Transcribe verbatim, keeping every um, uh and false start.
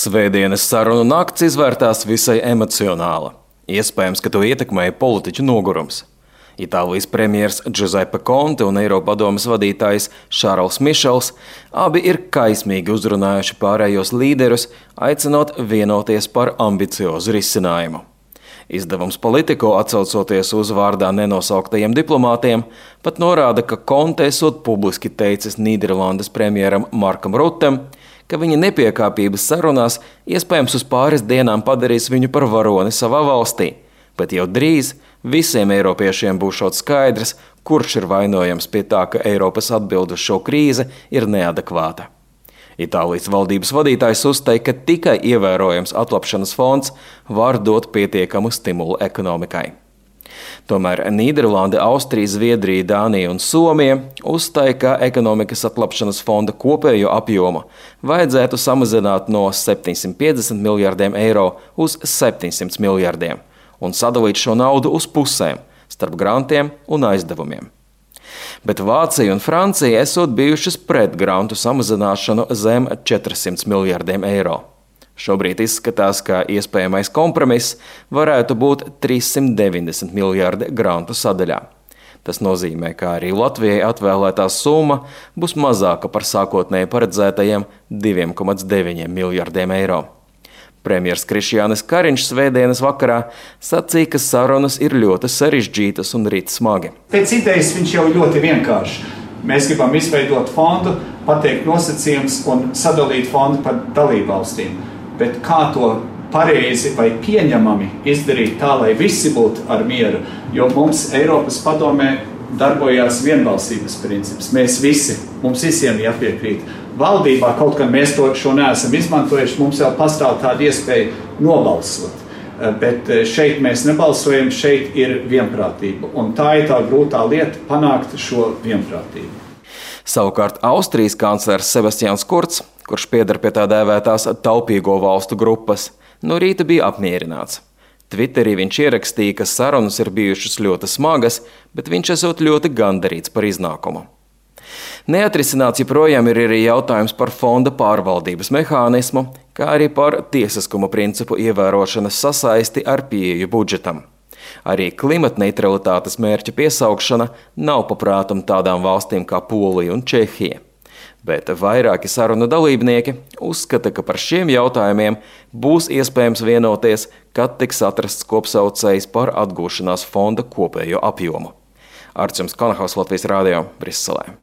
Svētdienas sarunu nakts izvērtās visai emocionāla. Iespējams, ka to ietekmēja politiķu nogurums. Itālijas premjers Giuseppe Conte un Eiropadomes vadītājs Šarls Mišels abi ir kaismīgi uzrunājuši pārējos līderus, aicinot vienoties par ambiciozu risinājumu. Izdevums Politico, atsaucoties uz vārdā nenosauktajiem diplomātiem, pat norāda, ka Conte esot publiski teicis Nīderlandes premjeram Markam Rutem, ka viņa nepiekāpības sarunās iespējams uz pāris dienām padarīs viņu par varoni savā valstī, bet jau drīz visiem eiropiešiem būšot skaidrs, kurš ir vainojams pie tā, ka Eiropas atbilde uz šo krīzi ir neadekvāta. Itālijas valdības vadītājs uzteica, ka tikai ievērojams atlapšanas fonds var dot pietiekamu stimulu ekonomikai. Tomēr Nīderlande, Austrija, Zviedrija, Dānija un Somija uzstāja, ka ekonomikas atlapšanas fonda kopējo apjomu vajadzētu samazināt no septiņsimt piecdesmit miljardiem eiro uz septiņsimt miljardiem un sadalīt šo naudu uz pusēm starp grantiem un aizdevumiem. Bet Vācija un Francija esot bijušas pret grantu samazināšanu zem četrsimt miljardiem eiro. Šobrīd izskatās, ka iespējamais kompromiss varētu būt trīssimt deviņdesmit miljardi grantu sadaļā. Tas nozīmē, ka arī Latvijai atvēlētā summa būs mazāka par sākotnēji paredzētajiem diviem komats deviņiem miljardiem eiro. Premjers Krišjānis Kariņš svētdienas vakarā sacīja, ka sarunas ir ļoti sarežģītas un rit smagi. Pēc idejas viņš jau ļoti vienkārši. Mēs gribam izveidot fondu, pateikt nosacījums un sadalīt fondu par dalībvalstīm. Bet kā to pareizi vai pieņemami izdarīt tā, lai visi būtu ar mieru, jo mums Eiropas padomē darbojās vienbalsības princips. Mēs visi, mums visiem jāpiekrīt. Valdībā kaut kad mēs to šo neesam izmantojuši, mums jau pastāv tāda iespēja nobalsot. Bet šeit mēs nebalsojam, šeit ir vienprātība. Un tā ir tā grūtā lieta panākt šo vienprātību. Savukārt Austrijas kanclers Sebastians Kurz, kurš pieder pie tā dēvētās taupīgo valstu grupas, no rīta bija apmierināts. Twitterī viņš ierakstīja, ka sarunas ir bijušas ļoti smagas, bet viņš esot ļoti gandarīts par iznākumu. Neatrisināts joprojām ir arī jautājums par fonda pārvaldības mehānismu, kā arī par tiesiskuma principu ievērošanas sasaisti ar pieeju budžetam. Arī klimatneitralitātes mērķa piesaukšana nav paprātam tādām valstīm kā Polija un Čehija. Bet vairāki sarunu dalībnieki uzskata, ka par šiem jautājumiem būs iespējams vienoties, kad tiks atrasts kopsaucējs par atgūšanās fonda kopējo apjomu. Arčuns Kanahaus, Latvijas radio, Briselē.